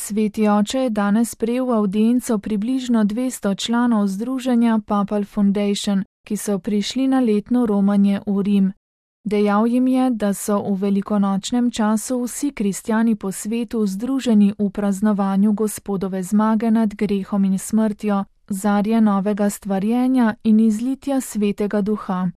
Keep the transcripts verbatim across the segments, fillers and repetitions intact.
Sveti oče je danes sprejel v avdienco približno dvesto članov združenja Papal Foundation, ki so prišli na letno romanje v Rim. Dejal jim je, da so v velikonočnem času vsi kristjani po svetu združeni v praznovanju Gospodove zmage nad grehom in smrtjo, zarje novega stvarjenja in izlitja Svetega Duha.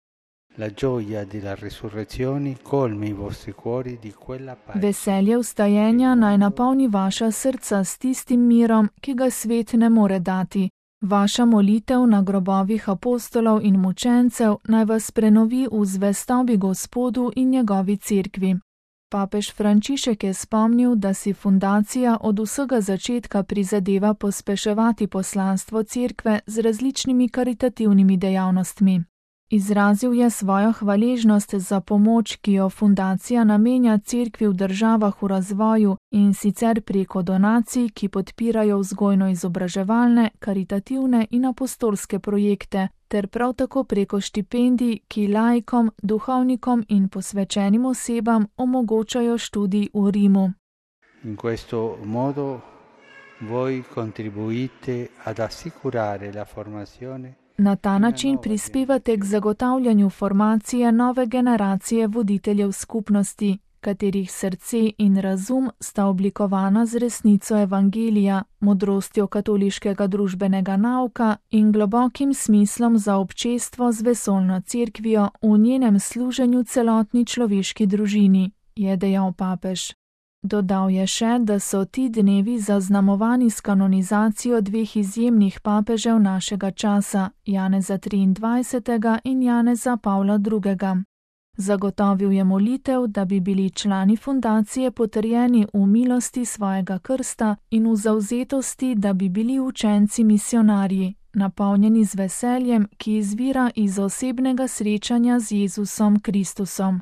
Veselje vstajenja naj napolni vaša srca s tistim mirom, ki ga svet ne more dati. Vaša molitev na grobovih apostolov in mučencev naj vas prenovi v zvestobi Gospodu in njegovi cerkvi. Papež Frančišek je spomnil, da si fundacija od vsega začetka prizadeva pospeševati poslanstvo cerkve z različnimi karitativnimi dejavnostmi. Izrazil je svojo hvaležnost za pomoč, ki jo fundacija namenja cerkvi v državah v razvoju, in sicer preko donacij, ki podpirajo vzgojno-izobraževalne, karitativne in apostolske projekte, ter prav tako preko štipendij, ki laikom, duhovnikom in posvečenim osebam omogočajo študij v Rimu. In questo modo voi contribuite ad assicurare la formazione. Na ta način prispevate k zagotavljanju formacije nove generacije voditeljev skupnosti, katerih srce in razum sta oblikovana z resnico evangelija, modrostjo katoliškega družbenega nauka in globokim smislom za občestvo z vesoljno cerkvijo v njenem služenju celotni človeški družini, je dejal papež. Dodal je še, da so ti dnevi zaznamovani s kanonizacijo dveh izjemnih papežev našega časa, Janeza triindvajsetega in Janeza Pavla drugega. Zagotovil je molitev, da bi bili člani fundacije potrjeni v milosti svojega krsta in v zavzetosti, da bi bili učenci misionarji, napolnjeni z veseljem, ki izvira iz osebnega srečanja z Jezusom Kristusom.